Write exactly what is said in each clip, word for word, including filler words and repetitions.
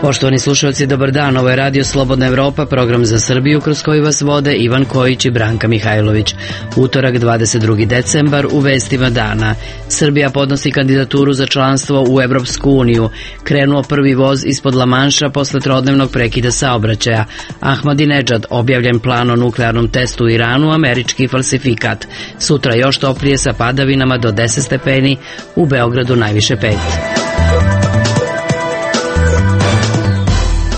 Poštovani slušalci, dobar dan. Ovo je Radio Slobodna Evropa, program za Srbiju kroz koji vas vode Ivan Kojić i Branka Mihajlović. Utorak, dvadeset drugi decembar, u vestima dana. Srbija podnosi kandidaturu za članstvo u Evropsku uniju. Krenuo prvi voz ispod Lamanša posle trodnevnog prekida saobraćaja. Ahmadinedžad, objavljen plan o nuklearnom testu u Iranu, američki falsifikat. Sutra još toplije sa padavinama do deset stepeni, u Beogradu najviše pet.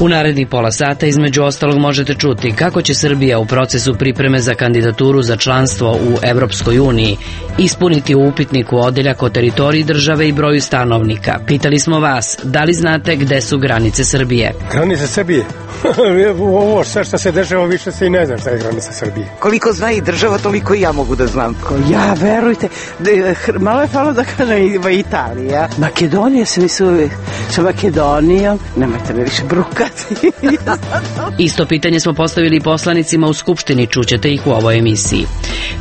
U narednih pola sata između ostalog možete čuti kako će Srbija u procesu pripreme za kandidaturu za članstvo u Evropskoj uniji ispuniti u upitniku odeljak o teritoriji države i broju stanovnika. Pitali smo vas, da li znate gde su granice Srbije? Granice Srbije? Ovo sve što se dešava više se i ne zna šta je granica Srbije. Koliko zna i država, toliko i ja mogu da znam. Ja, verujte, malo je falo da kažem Italija. Makedonija se misli sa Makedonijom, nemojte me više brukati. Isto pitanje smo postavili poslanicima u Skupštini, čućete ih u ovoj emisiji.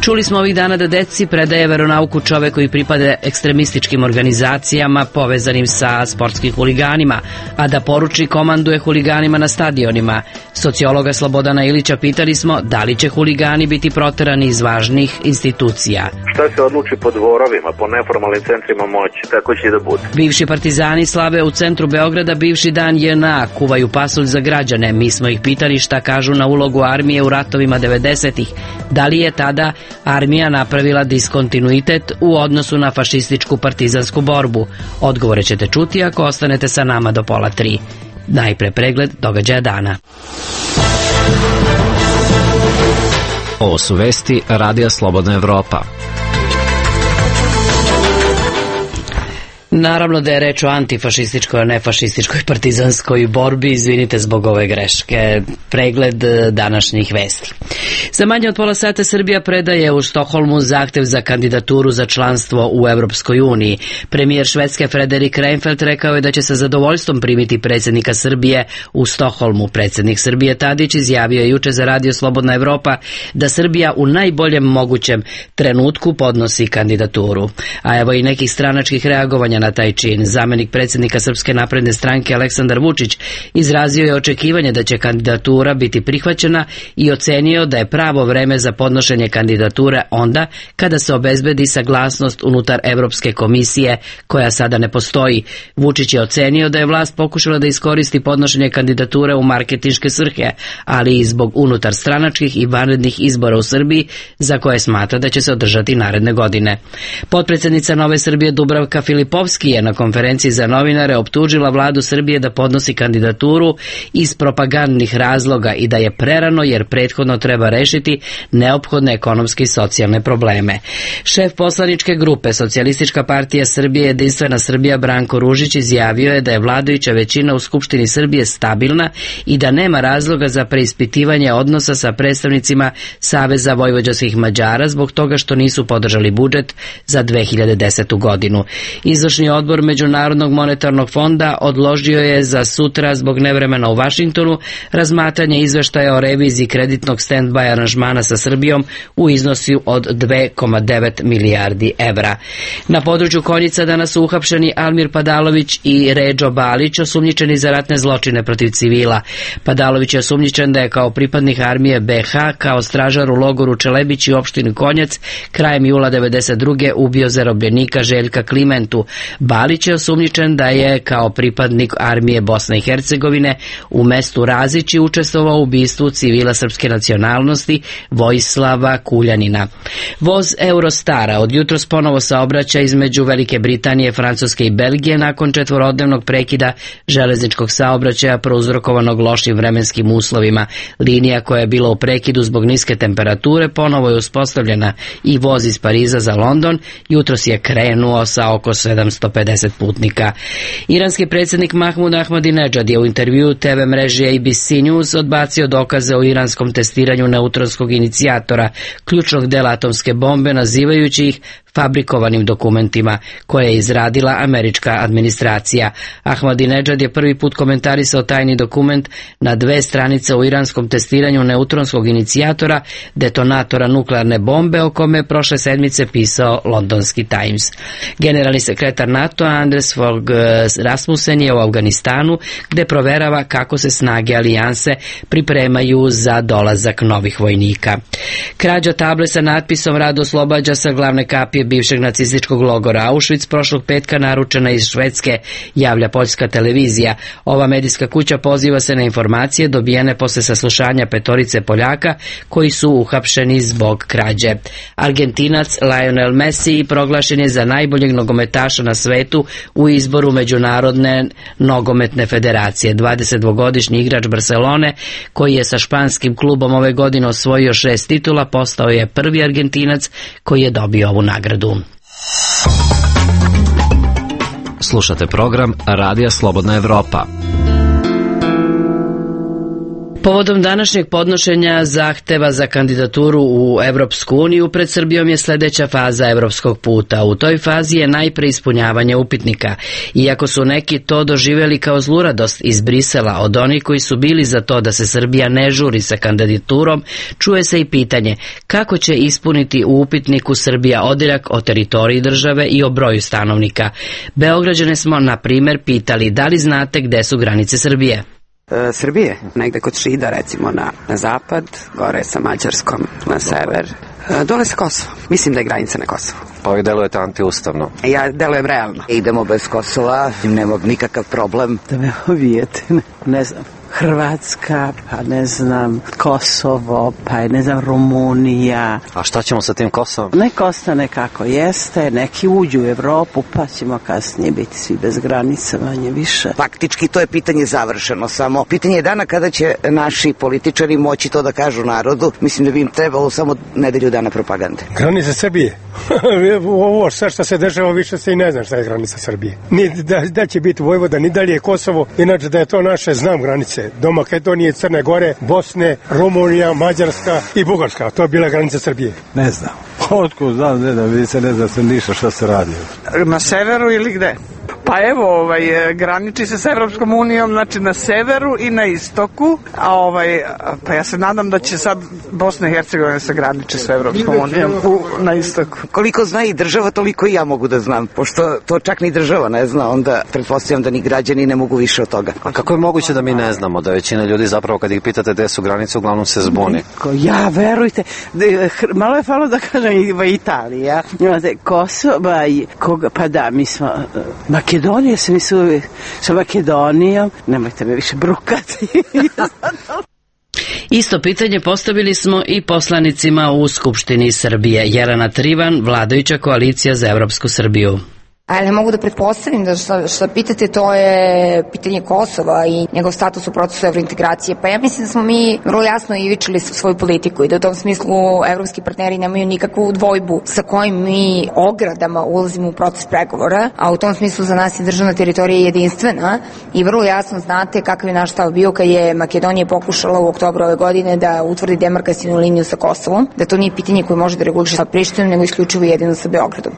Čuli smo ovih dana da deci predaje veronauku čovek koji pripada ekstremističkim organizacijama povezanim sa sportskim huliganima, a da poruči komanduje huliganima na stadionima. Sociologa Slobodana Ilića pitali smo da li će huligani biti proterani iz važnih institucija. Šta se odluči po dvorovima, po neformalnim centrima moći, tako će i da bude. Bivši partizani slave u centru Beograda bivši dan J N A, kuvaju pasulj za građane. Mi smo ih pitali šta kažu na ulogu armije u ratovima devedesetih. Da li je tada armija napravila diskontinuitet u odnosu na fašističku partizansku borbu? Odgovore ćete čuti ako ostanete sa nama do pola tri. Najpre pregled događaja dana. Ovo su vesti Radija Slobodna Evropa. Naravno da je reč o antifašističkoj, a ne fašističkoj partizanskoj borbi. Izvinite zbog ove greške. Pregled današnjih vesti. Za manje od pola sata Srbija predaje u Stokholmu zahtev za kandidaturu za članstvo u Evropskoj uniji. Premijer Švedske Frederik Reinfeldt rekao je da će sa zadovoljstvom primiti predsjednika Srbije u Stokholmu. Predsjednik Srbije Tadić izjavio je juče za Radio Slobodna Evropa da Srbija u najboljem mogućem trenutku podnosi kandidaturu. A evo i nekih stranačkih reagovanja na taj čin. Zamenik predsjednika Srpske napredne stranke Aleksandar Vučić izrazio je očekivanje da će kandidatura biti prihvaćena i ocenio da je pravo vreme za podnošenje kandidature onda kada se obezbedi saglasnost unutar Evropske komisije koja sada ne postoji. Vučić je ocenio da je vlast pokušala da iskoristi podnošenje kandidature u marketinške svrhe, ali i zbog unutar stranačkih i vanrednih izbora u Srbiji za koje smatra da će se održati naredne godine. Potpredsjednica Nove Srbije Dubravka Filipovski je na konferenciji za novinare optužila vladu Srbije da podnosi kandidaturu iz propagandnih razloga i da je prerano jer prethodno treba rešiti neophodne ekonomske i socijalne probleme. Šef poslaničke grupe Socijalistička partija Srbije Jedinstvena Srbija Branko Ružić izjavio je da je vladajuća većina u Skupštini Srbije stabilna i da nema razloga za preispitivanje odnosa sa predstavnicima Saveza vojvođanskih Mađara zbog toga što nisu podržali budžet za dve hiljade desetu godinu. Izvršni odbor Međunarodnog monetarnog fonda odložio je za sutra zbog nevremena u Vašingtonu razmatranje izveštaja o reviziji kreditnog stand-by aranžmana sa Srbijom u iznosu od dve zarez devet milijardi evra. Na području Konjica danas su uhapšeni Almir Padalović i Redžo Balić, osumnjičeni za ratne zločine protiv civila. Padalović je osumnjičen da je kao pripadnik armije be ha kao stražar u logoru Čelebić i opštini Konjac krajem jula devedeset druge ubio zarobljenika Željka Klimentu. Balić je osumnjičen da je kao pripadnik armije Bosne i Hercegovine u mestu Razići učestvovao u ubistvu civila srpske nacionalnosti Vojislava Kuljanina. Voz Eurostara od jutros ponovo saobraća između Velike Britanije, Francuske i Belgije nakon četvorodnevnog prekida železničkog saobraćaja prouzrokovanog lošim vremenskim uslovima. Linija koja je bila u prekidu zbog niske temperature ponovo je uspostavljena i voz iz Pariza za London jutros je krenuo sa oko sedamsto pedeset putnika. Iranski predsjednik Mahmud Ahmadinedžad je u intervjuu te ve mreži A B C News odbacio dokaze o iranskom testiranju neutronskog inicijatora, ključnog dela atomske bombe, nazivajući ih fabrikovanim dokumentima koje je izradila američka administracija. Ahmadinejad je prvi put komentarisao tajni dokument na dve stranice o iranskom testiranju neutronskog inicijatora, detonatora nuklearne bombe, o kome je prošle sedmice pisao londonski Times. Generalni sekretar NATO Anders Fogh Rasmussen je u Afganistanu, gde proverava kako se snage alijanse pripremaju za dolazak novih vojnika. Krađa table sa natpisom "Rad oslobađa" sa glavne kapije bivšeg nacističkog logora Auschwitz prošlog petka naručena iz Švedske, javlja poljska televizija. Ova medijska kuća poziva se na informacije dobijene posle saslušanja petorice Poljaka koji su uhapšeni zbog krađe. Argentinac Lionel Messi proglašen je za najboljeg nogometaša na svetu u izboru Međunarodne nogometne federacije. dvadesetdvogodišnji igrač Barcelone, koji je sa španskim klubom ove godine osvojio šest titula, postao je prvi Argentinac koji je dobio ovu nagradu. Slušate program Radija Slobodna Evropa. Povodom današnjeg podnošenja zahteva za kandidaturu u Evropsku uniju pred Srbijom je sledeća faza evropskog puta. U toj fazi je najpre ispunjavanje upitnika. Iako su neki to doživjeli kao zluradost iz Brisela od onih koji su bili za to da se Srbija ne žuri sa kandidaturom, čuje se i pitanje kako će ispuniti u upitniku Srbija odirak o teritoriji države i o broju stanovnika. Beograđane smo, na primer, pitali da li znate gde su granice Srbije. E, Srbije, negde kod Šida, recimo na, na zapad, gore sa Mađarskom na sever, e, dole sa Kosovo. Mislim da je granica na Kosovu. Pa vi delujete antiustavno. Ja delujem realno. Idemo bez Kosova, nemamo nikakav problem. Da me ovijete, ne, ne znam. Hrvatska, pa ne znam, Kosovo, pa ne znam, Rumunija. A šta ćemo sa tim Kosovom? Nek ostane kako jeste, neki uđu u Evropu, pa ćemo kasnije biti svi bez granica, manje više. Faktički to je pitanje završeno, samo pitanje je dana kada će naši političari moći to da kažu narodu. Mislim da bi im trebalo samo nedelju dana propagande. Granica Srbije? Ovo sve što se dešava više se i ne zna šta je granica Srbije. Ni da, da će biti Vojvoda, ni dalje je Kosovo, inače da je to naše, znam granice. Do Makedonije, Crne Gore, Bosne, Rumunija, Mađarska i Bugarska. To je bila granica Srbije. Ne znam. Otkud znam, ne znam, vidi se ne zna se ništa šta se radi. Na severu ili gde? Pa evo, ovaj, graniči se s Evropskom unijom, znači na severu i na istoku, a ovaj, pa ja se nadam da će sad Bosna i Hercegovina se graniči s Evropskom unijom u, na istoku. Koliko zna i država, toliko i ja mogu da znam. Pošto to čak ni država ne zna, onda pretpostavljam da ni građani ne mogu više od toga. A kako je moguće da mi ne znamo, da većina ljudi zapravo kad ih pitate gde su granice, uglavnom se zbuni? Ja, verujte, malo je falo da kažem i Italija, imate Kosovo, koga, pa da, mi smo Makedonija, se mi su sa Makedonijom, nemojte me više brukati. Isto pitanje postavili smo i poslanicima u Skupštini Srbije. Jelena Trivan, vladajuća koalicija za Evropsku Srbiju. Ali mogu da pretpostavim da što, što pitate, to je pitanje Kosova i njegov status u procesu evrointegracije. Pa ja mislim da smo mi vrlo jasno ivičili svoju politiku i da u tom smislu evropski partneri nemaju nikakvu dvojbu sa kojim mi ogradama ulazimo u proces pregovora, a u tom smislu za nas je državna teritorija jedinstvena i vrlo jasno znate kakav je naš stav bio kad je Makedonija pokušala u oktobru ove godine da utvrdi demarkacionu liniju sa Kosovom, da to nije pitanje koje može da reguliše sa Prištinom, nego isključivo jedino sa Beogradom.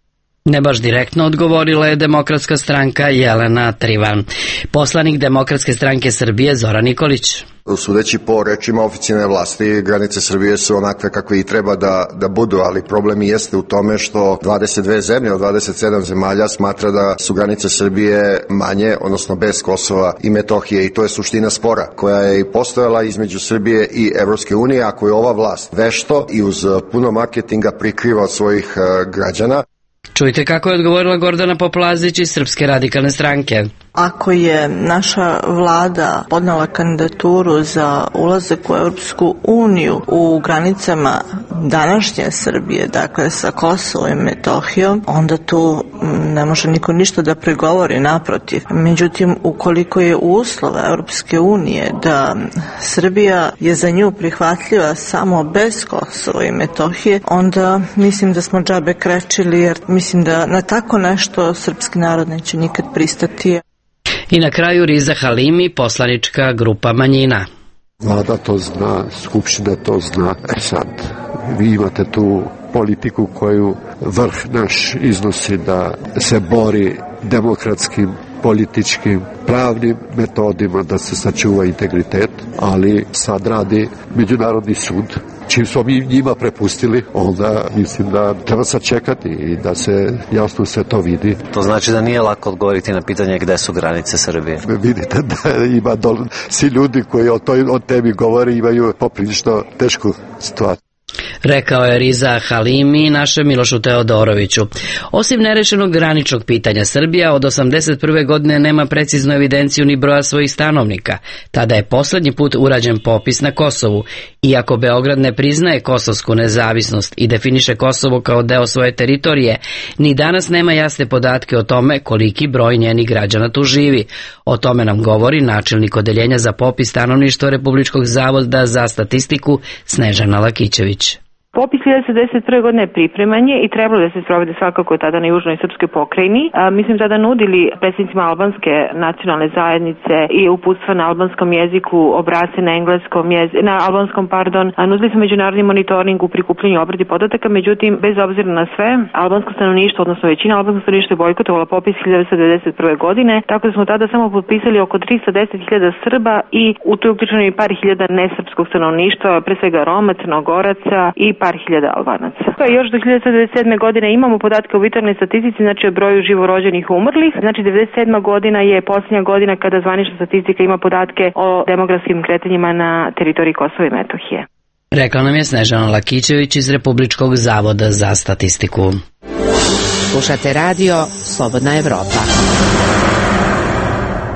Ne baš direktno odgovorila je Demokratska stranka Jelena Trivan. Poslanik Demokratske stranke Srbije Zoran Nikolić. Sudeći po rečima oficijalne vlasti, granice Srbije su onakve kakve i treba da, da budu, ali problem jeste u tome što dvadeset dve zemlje od dvadeset sedam zemalja smatra da su granice Srbije manje, odnosno bez Kosova i Metohije, i to je suština spora koja je i postojala između Srbije i Evropske unije, a koju je ova vlast vešto i uz puno marketinga prikriva od svojih uh, građana. Čujte kako je odgovorila Gordana Poplazić iz Srpske radikalne stranke. Ako je naša vlada podnela kandidaturu za ulazak u Evropsku uniju u granicama današnje Srbije, dakle sa Kosovom i Metohijom, onda tu ne može niko ništa da pregovori, naprotiv. Međutim, ukoliko je uslov Evropske unije da Srbija je za nju prihvatljiva samo bez Kosova i Metohije, onda mislim da smo džabe krečili, jer mislim da na tako nešto srpski narod neće nikad pristati. I na kraju Riza Halimi, poslanička grupa manjina. Vlada to zna, Skupština to zna. E sad, vi imate tu politiku koju vrh naš iznosi da se bori demokratskim, političkim, pravnim metodima da se sačuva integritet, ali sad radi Međunarodni sud. Čim smo mi njima prepustili, onda mislim da treba sačekati i da se jasno sve to vidi. To znači da nije lako odgovoriti na pitanje gde su granice Srbije. Vidite da ima dol, svi ljudi koji o toj o temi govore imaju poprilično tešku situaciju. Rekao je Riza Halimi našem Milošu Teodoroviću. Osim nerešenog graničnog pitanja, Srbija od osamdeset prve godine nema preciznu evidenciju ni broja svojih stanovnika. Tada je poslednji put urađen popis na Kosovu. Iako Beograd ne priznaje kosovsku nezavisnost i definiše Kosovo kao deo svoje teritorije, ni danas nema jasne podatke o tome koliki broj njenih građana tu živi. O tome nam govori načelnik odeljenja za popis stanovništva Republičkog zavoda za statistiku Snežana Lakićević. Popis hiljadu devetsto devedeset prve godine pripreman je i trebalo da se sprovede svakako tada na južnoj srpskoj pokrajini. A, mi smo tada nudili predsjednicima albanske nacionalne zajednice i uputstva na albanskom jeziku, obrasce na engleskom jeziku, na albanskom, pardon. A, nudili smo međunarodni monitoring u prikupljanju i obradi podataka, međutim, bez obzira na sve, albansko stanovništvo, odnosno većina albanskog stanovništva je bojkotovala popis hiljadu devetsto devedeset prve godine, tako da smo tada samo potpisali oko trista deset hiljada Srba i u to je uključeno i par hiljada nesrpskog stanovništva, pre svega Roma, Crnogoraca i par hiljada Albanaca. Još do hiljadu devetsto devedeset sedme godine imamo podatke o vitalnoj statistici, znači o broju živorođenih i umrlih. Znači devedeset sedma godina je posljednja godina kada zvanična statistika ima podatke o demografskim kretanjima na teritoriji Kosova i Metohije. Rekla nam je Snežana Lakićević iz Republičkog zavoda za statistiku. Slušate radio Slobodna Evropa.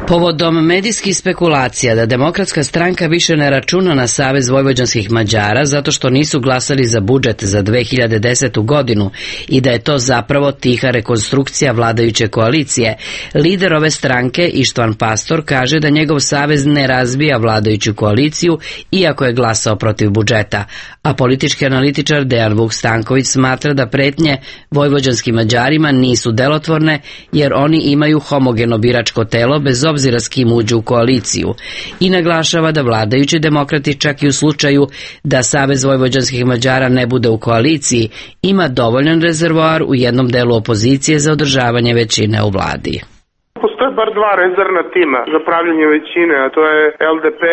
Povodom medijskih spekulacija da Demokratska stranka više ne računa na Savez vojvođanskih Mađara zato što nisu glasali za budžet za dve hiljade desetu godinu i da je to zapravo tiha rekonstrukcija vladajuće koalicije, lider ove stranke Ištvan Pastor kaže da njegov savez ne razbija vladajuću koaliciju iako je glasao protiv budžeta, a politički analitičar Dejan Vuk Stanković smatra da pretnje vojvođanskim Mađarima nisu delotvorne jer oni imaju homogeno biračko telo bez obzira obzira s kim uđu u koaliciju i naglašava da vladajući demokrati čak i u slučaju da Savez vojvođanskih Mađara ne bude u koaliciji ima dovoljan rezervoar u jednom delu opozicije za održavanje većine u vladi. Postoje bar dva rezervna tima za pravljanje većine, a to je L D P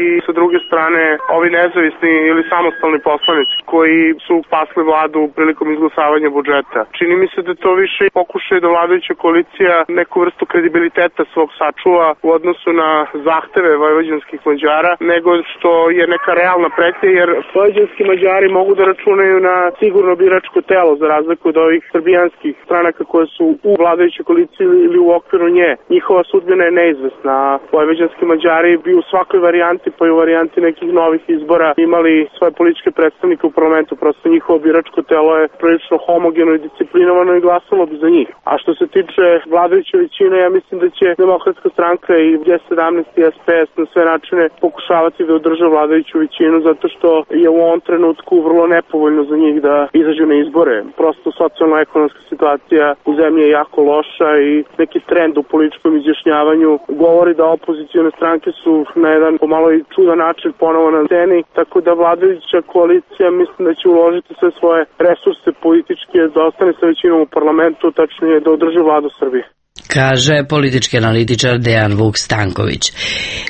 i sa druge strane ovi nezavisni ili samostalni poslanici koji su pasli vladu prilikom izglasavanja budžeta. Čini mi se da to više pokušaju da vladajuća koalicija neku vrstu kredibiliteta svog sačuva u odnosu na zahteve vojvođanskih Mađara, nego što je neka realna pretnja, jer vojvođanski Mađari mogu da računaju na sigurno biračko telo za razliku od ovih srbijanskih stranaka koje su u vladajućoj koaliciji ili u okviru nje. Njihova sudbina je neizvesna. Vojvođanski Mađari bi u svakoj varijanti, pa i u varijanti nekih novih izbora imali svoje političke predstavnike u parlamentu. Prosto njihovo biračko telo je prilično homogeno i disciplinovano i glasalo bi za njih. A što se tiče vladajuće većine, ja mislim da će Demokratska stranka i G sedamnaest i S P S na sve načine pokušavati da održe vladajuću većinu zato što je u ovom trenutku vrlo nepovoljno za njih da izađu na izbore. Prosto socijalno-ekonomska situacija u zemlji je jako loša i neki trend u političkom izjašnjavanju govori da opozicione stranke su na jedan pomalo i čudan način ponovo na sceni, tako da vladajuća koalicija mislim da će uložiti sve svoje resurse političke da ostane sa većinom u parlamentu, tačnije da održi vladu Srbije. Kaže politički analitičar Dejan Vuk Stanković.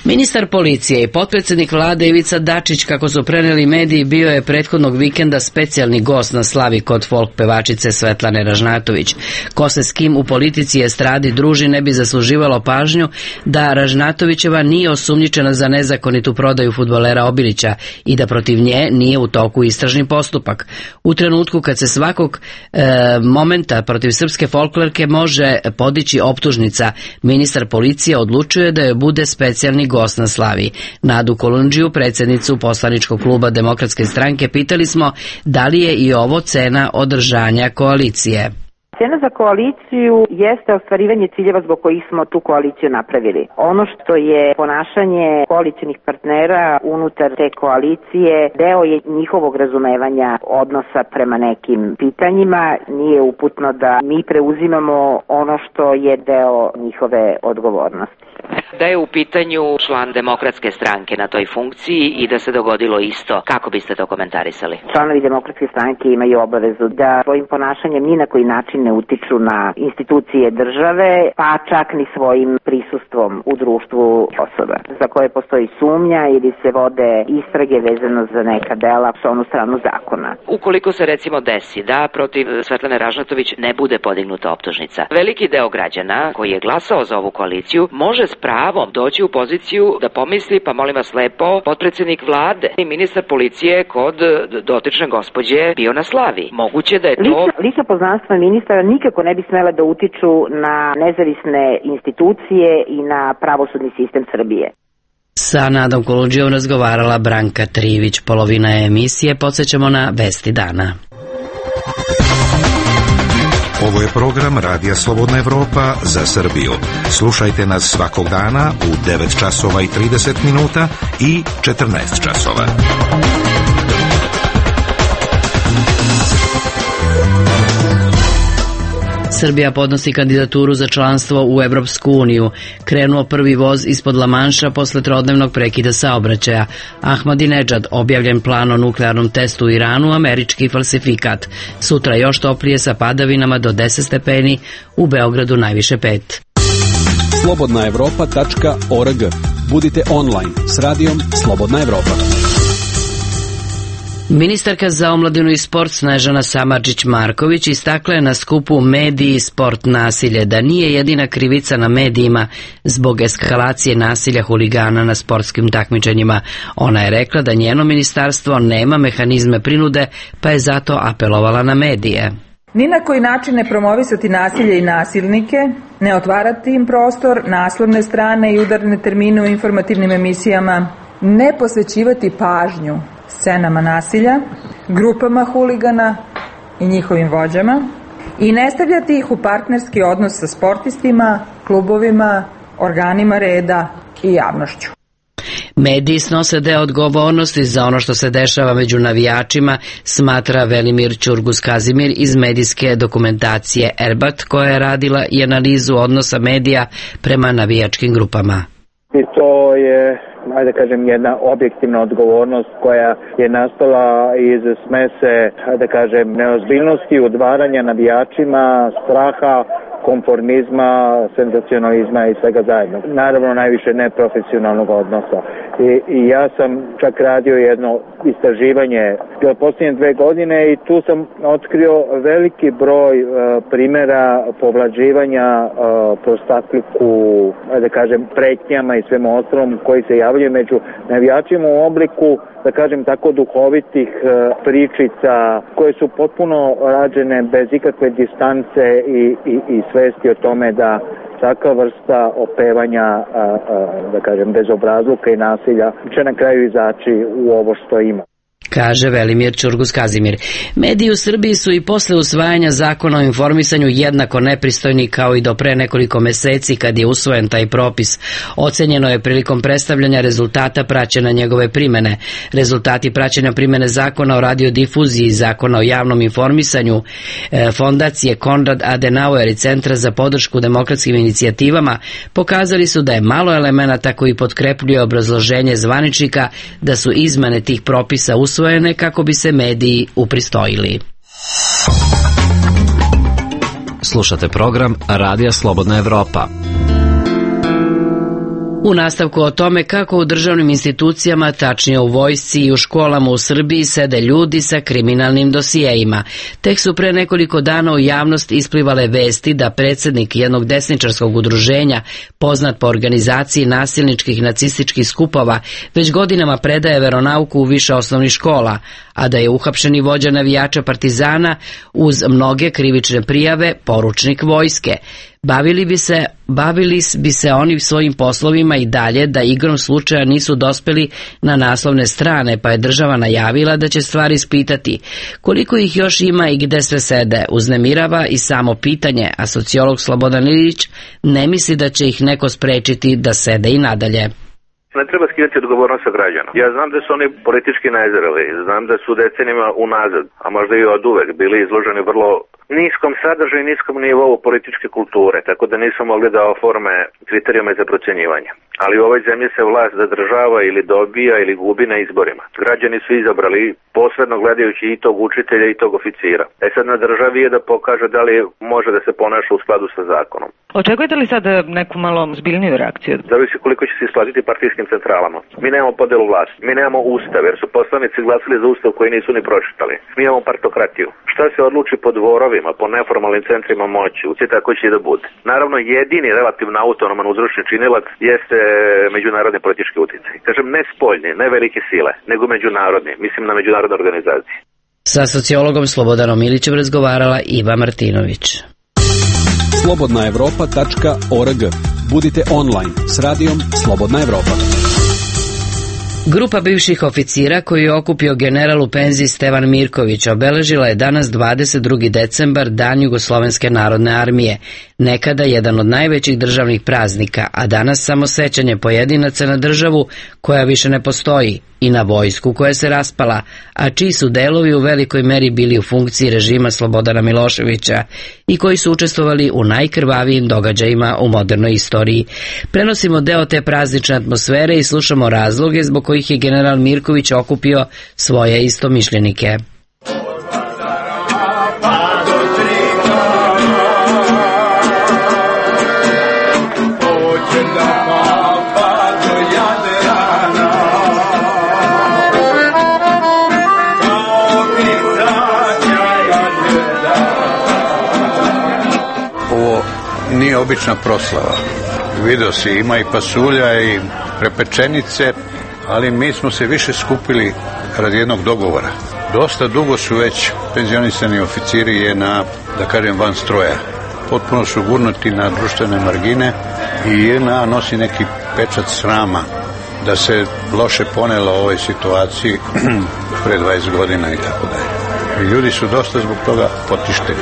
Ministar policije i potpredsjednik vlade Ivica Dačić, kako su preneli mediji, bio je prethodnog vikenda specijalni gost na slavi kod folk pevačice Svetlane Ražnatović. Ko se s kim u politici i estradi druži ne bi zasluživalo pažnju da Ražnatovićeva nije osumnjičena za nezakonitu prodaju fudbalera Obilića i da protiv nje nije u toku istražni postupak. U trenutku kad se svakog e, momenta protiv srpske folklorke može podići optužnica, ministar policije odlučuje da joj bude specijalni gost na slavi. Nadu Kolundžiju, predsjednicu poslaničkog kluba Demokratske stranke, pitali smo da li je i ovo cena održanja koalicije. Cena za koaliciju jeste ostvarivanje ciljeva zbog kojih smo tu koaliciju napravili. Ono što je ponašanje koalicijnih partnera unutar te koalicije deo je njihovog razumevanja odnosa prema nekim pitanjima. Nije uputno da mi preuzimamo ono što je deo njihove odgovornosti. Da je u pitanju član Demokratske stranke na toj funkciji i da se dogodilo isto, kako biste to komentarisali? Članovi Demokratske stranke imaju obavezu da svojim ponašanjem ni na koji način ne utiču na institucije države, pa čak ni svojim prisustvom u društvu osoba za koje postoji sumnja ili se vode istrage vezano za neka dela s onu stranu zakona. Ukoliko se recimo desi da protiv Svetlane Ražnatović ne bude podignuta optužnica, veliki deo građana koji je glasao za ovu koaliciju može s pravom doći u poziciju da pomisli, pa molim vas lepo, potpredsednik vlade i ministar policije kod dotične gospođe bio na slavi. Moguće da je to... Lična, lična poznanstva ministara nikako ne bi smela da utiču na nezavisne institucije i na pravosudni sistem Srbije. Sa Nadom Kolundžijom razgovarala Branka Trivić. Polovina emisije podsjećamo na Vesti dana. Ovo je program Radija Slobodna Evropa za Srbiju. Slušajte nas svakog dana u devet časova i trideset minuta i četrnaest časova. Srbija podnosi kandidaturu za članstvo u Evropsku uniju. Krenuo prvi voz ispod Lamanša posle trodnevnog prekida saobraćaja. Ahmadinedžad objavljen plan o nuklearnom testu u Iranu, američki falsifikat. Sutra još toplije sa padavinama do deset stepeni, u Beogradu najviše pet. slobodna evropa tačka org. Budite online s radijom Slobodna Evropa. Ministarka za omladinu i sport Snežana Samardžić-Marković istakla je na skupu Mediji i sport nasilje da nije jedina krivica na medijima zbog eskalacije nasilja huligana na sportskim takmičenjima. Ona je rekla da njeno ministarstvo nema mehanizme prinude, pa je zato apelovala na medije. Ni na koji način ne promovisati nasilje i nasilnike, ne otvarati im prostor, naslovne strane i udarne termine u informativnim emisijama, ne posvećivati pažnju scenama nasilja, grupama huligana i njihovim vođama i ne stavljati ih u partnerski odnos sa sportistima, klubovima, organima reda i javnošću. Mediji snose deo odgovornosti za ono što se dešava među navijačima, smatra Velimir Ćurgus-Kazimir iz medijske dokumentacije Erbat, koja je radila i analizu odnosa medija prema navijačkim grupama. I to je, ajde kažem, jedna objektivna odgovornost koja je nastala iz smese, ajde kažem, neozbiljnosti, udvaranja navijačima, straha, konformizma, senzacionalizma i svega zajedno. Naravno, najviše neprofesionalnog odnosa. I, i ja sam čak radio jedno istraživanje posljednje dve godine i tu sam otkrio veliki broj uh, primjera povlađivanja uh, prostakliku, da kažem, pretnjama i svemu ostalom koji se javljaju među navijačima u obliku, da kažem tako, duhovitih uh, pričica koje su potpuno rađene bez ikakve distance i, i, i svesti o tome da takva vrsta opevanja, a, a, da kažem, bezobrazluka i nasilja će na kraju izaći u ovo što ima. Kaže Velimir Ćurgus-Kazimir. Mediji u Srbiji su i posle usvajanja zakona o informisanju jednako nepristojni kao i do pre nekoliko meseci kad je usvojen taj propis. Ocenjeno je prilikom predstavljanja rezultata praćenja njegove primene. Rezultati praćenja primene zakona o radiodifuziji, zakona o javnom informisanju, fondacije Konrad Adenauer i Centra za podršku demokratskim inicijativama pokazali su da je malo elemenata koji potkrepljuje obrazloženje zvaničnika da su izmene tih propisa usvojene kako bi se mediji upristojili. Slušate program Radija Slobodna Evropa. U nastavku o tome kako u državnim institucijama, tačnije u vojsci i u školama u Srbiji sede ljudi sa kriminalnim dosijejima. Tek su pre nekoliko dana u javnost isplivale vesti da predsjednik jednog desničarskog udruženja, poznat po organizaciji nasilničkih nacističkih skupova, već godinama predaje veronauku u više osnovnih škola, a da je uhapšeni vođa navijača Partizana uz mnoge krivične prijave poručnik vojske. Bavili bi se, bavili bi se oni svojim poslovima i dalje da igrom slučaja nisu dospeli na naslovne strane, pa je država najavila da će stvari ispitati. Koliko ih još ima i gde sve sede, uznemirava i samo pitanje, a sociolog Slobodan Ilić ne misli da će ih neko sprečiti da sede i nadalje. Ne treba skidati odgovornost sa građana. Ja znam da su oni politički nezreli, znam da su decenijama unazad, a možda i od uvek, bili izloženi vrlo niskom sadržaju i niskom nivou političke kulture, tako da nisu mogli da oforme kriterijume za procjenjivanje. Ali u ovoj zemlji se vlast zadržava ili dobija ili gubi na izborima. Građani su izabrali posredno gledajući i tog učitelja i tog oficira. E sad na državi je da pokaže da li može da se ponaša u skladu sa zakonom. Očekujete li sad neku malo zbiljniju reakciju? Zavisi koliko će se isplatiti partijskim centralama. Mi nemamo podelu vlasti, mi nemamo ustav, jer su poslanici glasili za ustav koji nisu ni pročitali. Mi imamo partokratiju. Šta se odluči po dvorovima, po neformalnim centrima moći, uci tako će i da bude. Naravno, jedini relativno autonoman uzročni činilac jeste međunarodni politički uticaj. Kažem, ne spoljni, ne velike sile, nego međunarodni, mislim na međunarodne organizacije. Sa sociologom Slobodanom Ilićem razgovarala Iva Martinović. slobodna evropa tačka org. Budite online s radijom Slobodna Evropa. Grupa bivših oficira koju je okupio general u penziji Stevan Mirković obeležila je danas dvadeset drugi decembar, Dan Jugoslovenske narodne armije, nekada jedan od najvećih državnih praznika, a danas samo sećanje pojedinaca na državu koja više ne postoji i na vojsku koja se raspala, a čiji su delovi u velikoj meri bili u funkciji režima Slobodana Miloševića i koji su učestvovali u najkrvavijim događajima u modernoj istoriji. Prenosimo deo te praznične atmosfere i slušamo razloge zbog kojih je general Mirković okupio svoje istomišljenike. Nije obična proslava. Video si, ima i pasulja i prepečenice, ali mi smo se više skupili radi jednog dogovora. Dosta dugo su već penzionisani oficiri je na, da kažem, van stroja. Potpuno su gurnuti na društvene margine i J N A nosi neki pečat srama da se loše ponela u ovoj situaciji pre dvadeset godina i tako dalje. I ljudi su dosta zbog toga potišteni.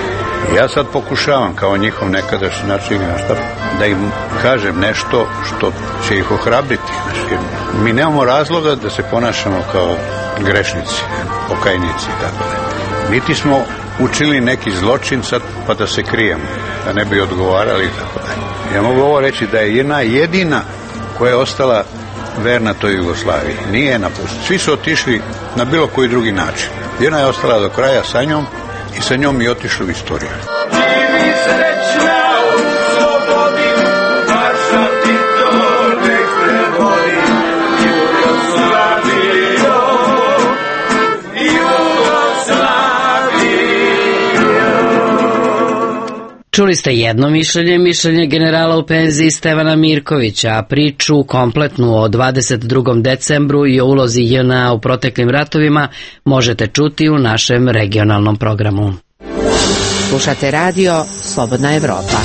Ja sad pokušavam kao njihov nekadašnji načelnik štab da im kažem nešto što će ih ohrabriti. Znači, mi nemamo razloga da se ponašamo kao grešnici, pokajnici i tako da. Niti smo učili neki zločin sad pa da se krijemo, da ne bi odgovarali i tako da. Ja mogu ovo reći da je jedna jedina koja je ostala verna toj Jugoslaviji. Nije napustila. Svi su otišli na bilo koji drugi način. Jedna je ostala do kraja sa njom i sa njom i otišli u istoriju. Živi srećna u slobodi, naša ti to nek predvodi. Jugoslavio, Jugoslavio. Čuli ste jedno mišljenje, mišljenje generala u penziji Stevana Mirkovića, a priču kompletnu o dvadeset drugom decembru i o ulozi J N A u proteklim ratovima možete čuti u našem regionalnom programu. Slušate radio Slobodna Evropa.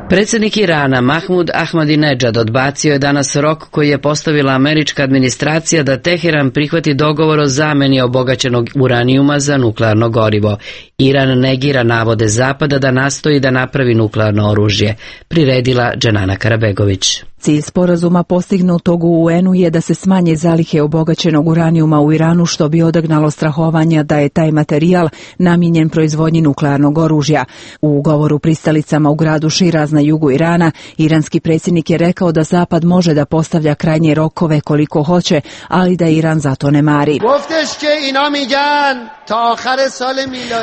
Predsjednik Irana Mahmud Ahmadinejad odbacio je danas rok koji je postavila američka administracija da Teheran prihvati dogovor o zameni obogaćenog uranijuma za nuklearno gorivo. Iran negira navode Zapada da nastoji da napravi nuklearno oružje, priredila Dženana Karabegović. Cilj sporazuma postignutog u U N-u je da se smanje zalihe obogaćenog uranijuma u Iranu, što bi odagnalo strahovanja da je taj materijal namijenjen proizvodnji nuklearnog oružja. U govoru pristalicama u gradu Širaz na jugu Irana, iranski predsjednik je rekao da Zapad može da postavlja krajnje rokove koliko hoće, ali da Iran zato ne mari.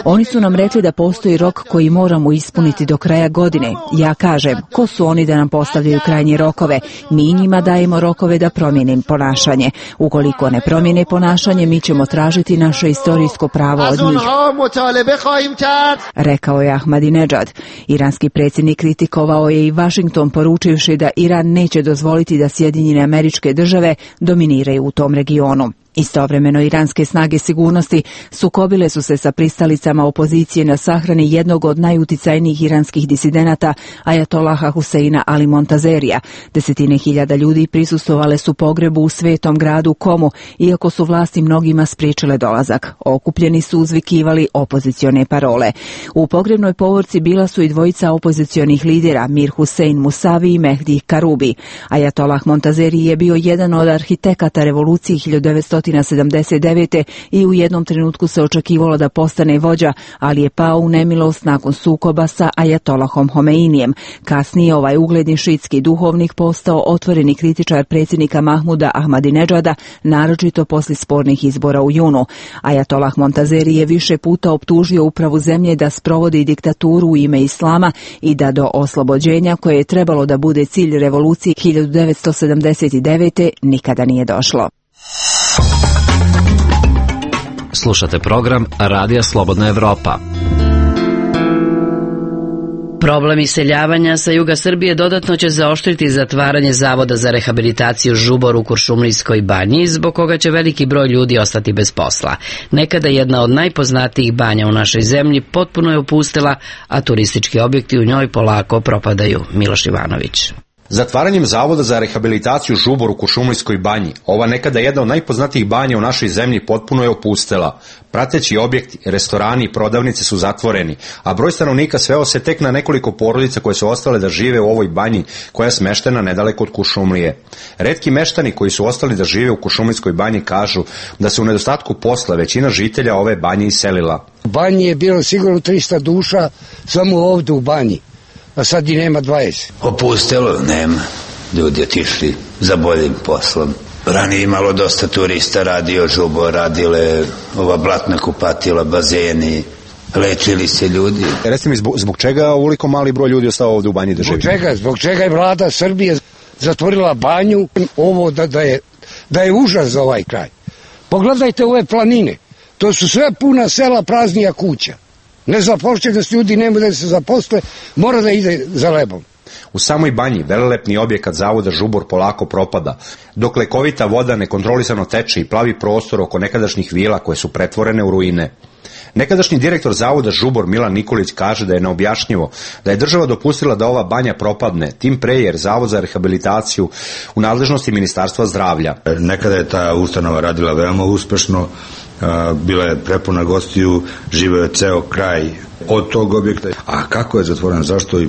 Oni su nam rekli da postoji rok koji moramo ispuniti do kraja godine. Ja kažem, ko su oni da nam postavljaju krajnje rokove? Mi njima dajemo rokove da promijene ponašanje. Ukoliko ne promijene ponašanje, mi ćemo tražiti naše istorijsko pravo od njih, rekao je Ahmadinejad. Iranski predsjednik kritikovao je i Washington, poručivši da Iran neće dozvoliti da Sjedinjene Američke Države dominiraju u tom regionu. Istovremeno, iranske snage sigurnosti sukobile su se sa pristalicama opozicije na sahrani jednog od najuticajnijih iranskih disidenata, ajatolaha Huseina Ali Montazerija. Desetine hiljada ljudi prisustvovale su pogrebu u svetom gradu Komu, iako su vlasti mnogima spriječile dolazak. Okupljeni su uzvikivali opozicione parole. U pogrebnoj povorci bila su i dvojica opozicionih lidera, Mir Hussein Musavi i Mehdi Karubi. Ajatolah Montazeri je bio jedan od arhitekata revolucije hiljadu devetsto sedamdeset devete. i u jednom trenutku se očekivalo da postane vođa, ali je pao u nemilost nakon sukoba sa ajatolahom Homeinijem. Kasnije ovaj ugledni šiitski duhovnik postao otvoreni kritičar predsjednika Mahmuda Ahmadinedžada, naročito posle spornih izbora u junu. Ajatolah Montazeri je više puta optužio upravu zemlje da sprovodi diktaturu u ime islama i da do oslobođenja, koje je trebalo da bude cilj revolucije hiljadu devetsto sedamdeset devete. nikada nije došlo. Slušate program Radija Slobodna Evropa. Problem iseljavanja sa juga Srbije dodatno će zaoštriti zatvaranje Zavoda za rehabilitaciju Žubor u Kuršumlijskoj banji, zbog koga će veliki broj ljudi ostati bez posla. Nekada jedna od najpoznatijih banja u našoj zemlji potpuno je opustela, a turistički objekti u njoj polako propadaju. Miloš Ivanović. Zatvaranjem Zavoda za rehabilitaciju Žubor u Kuršumlijskoj banji, ova nekada jedna od najpoznatijih banja u našoj zemlji potpuno je opustela. Prateći objekti, restorani i prodavnice su zatvoreni, a broj stanovnika sveo se tek na nekoliko porodica koje su ostale da žive u ovoj banji koja je smeštena nedaleko od Kuršumlije. Retki meštani koji su ostali da žive u Kuršumlijskoj banji kažu da se u nedostatku posla većina žitelja ove banje iselila. U banji je bilo sigurno trista duša samo ovdje u banji, a sad i nema dvadeset. Opustelo, nema. Ljudi otišli za boljim poslom. Ranije imalo dosta turista, radio Žubor, radile ova blatna kupatila, bazeni, lečili se ljudi. Recite mi, zbog, zbog čega ovoliko mali broj ljudi ostao ovdje u banji da živi? Zbog čega? Zbog čega je vlada Srbije zatvorila banju, ovo da, da, je, da je užas za ovaj kraj. Pogledajte ove planine, to su sve puna sela, praznija kuća. Nezapošljenost ljudi nema da se zaposle, mora da ide za lebom. U samoj banji velelepni objekat Zavoda Žubor polako propada, dok lekovita voda nekontrolisano teče i plavi prostor oko nekadašnjih vila koje su pretvorene u ruine. Nekadašnji direktor Zavoda Žubor Milan Nikolić kaže da je neobjašnjivo da je država dopustila da ova banja propadne, tim pre jer Zavod za rehabilitaciju u nadležnosti Ministarstva zdravlja. Nekada je ta ustanova radila veoma uspešno, bila je prepuna gostiju, živeo je ceo kraj od tog objekta. A kako je zatvoren, zašto i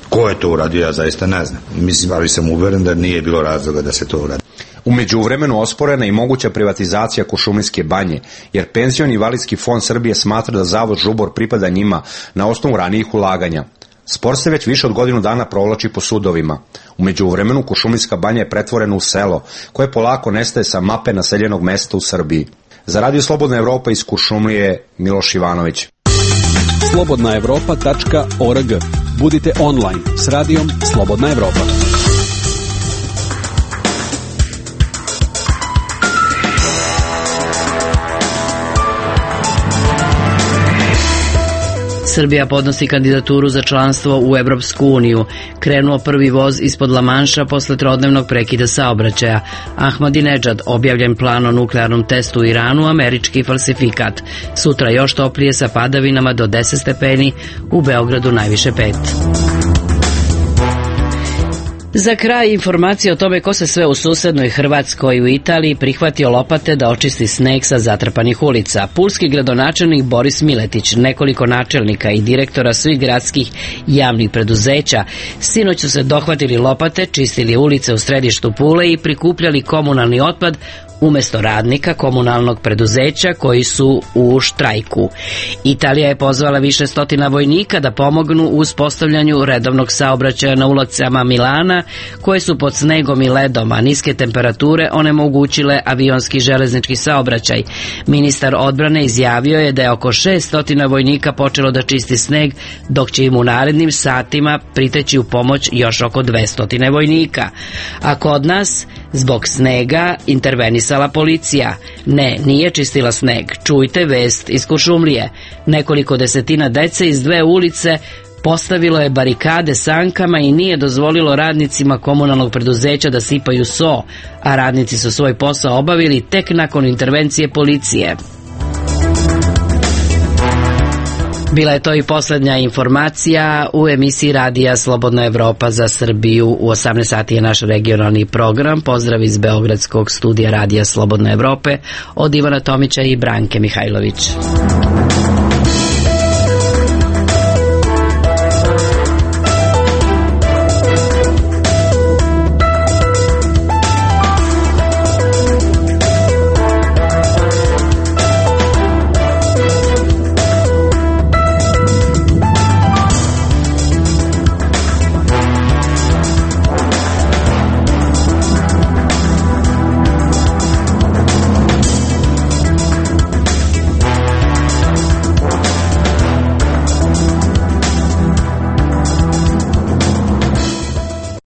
ko je to uradio, ja zaista ne znam. Mislim, ali sam uveren da nije bilo razloga da se to uradi. U međuvremenu osporena i moguća privatizacija Kuršumlijske banje, jer penzioni invalidski fond Srbije smatra da Zavod Žubor pripada njima na osnovu ranijih ulaganja. Spor se već više od godinu dana provlači po sudovima. U međuvremenu Kuršumlijska banja je pretvorena u selo, koje polako nestaje sa mape naseljenog mesta u Srbiji. Za Radio Slobodna Evropa iz Kuršumlije, Miloš Ivanović. slobodna evropa tačka org. Budite online s radijom Slobodna Evropa. Srbija podnosi kandidaturu za članstvo u Evropsku uniju. Krenuo prvi voz ispod Lamanša posle trodnevnog prekida saobraćaja. Ahmadinedžad, objavljen plan o nuklearnom testu u Iranu, američki falsifikat. Sutra još toplije sa padavinama do deset stepeni, u Beogradu najviše pet. Za kraj informacije o tome ko se sve u susednoj Hrvatskoj i u Italiji prihvatio lopate da očisti sneg sa zatrpanih ulica. Pulski gradonačelnik Boris Miletić, nekoliko načelnika i direktora svih gradskih javnih preduzeća sinoć su se dohvatili lopate, čistili ulice u središtu Pule i prikupljali komunalni otpad umesto radnika komunalnog preduzeća koji su u štrajku. Italija je pozvala više stotina vojnika da pomognu u uspostavljanju redovnog saobraćaja na ulicama Milana, koje su pod snegom i ledom, a niske temperature onemogućile avionski železnički saobraćaj. Ministar odbrane izjavio je da je oko šesto vojnika počelo da čisti sneg, dok će im u narednim satima priteći u pomoć još oko dvesta vojnika. A kod nas, zbog snega, intervenisala policija. Ne, nije čistila sneg. Čujte vest iz Kuršumlije. Nekoliko desetina dece iz dve ulice postavilo je barikade sankama i nije dozvolilo radnicima komunalnog preduzeća da sipaju so, a radnici su svoj posao obavili tek nakon intervencije policije. Bila je to i posljednja informacija u emisiji Radija Slobodna Evropa za Srbiju. U osamnaest sati je naš regionalni program. Pozdrav iz Beogradskog studija Radija Slobodne Evrope od Ivana Tomića i Branke Mihajlović.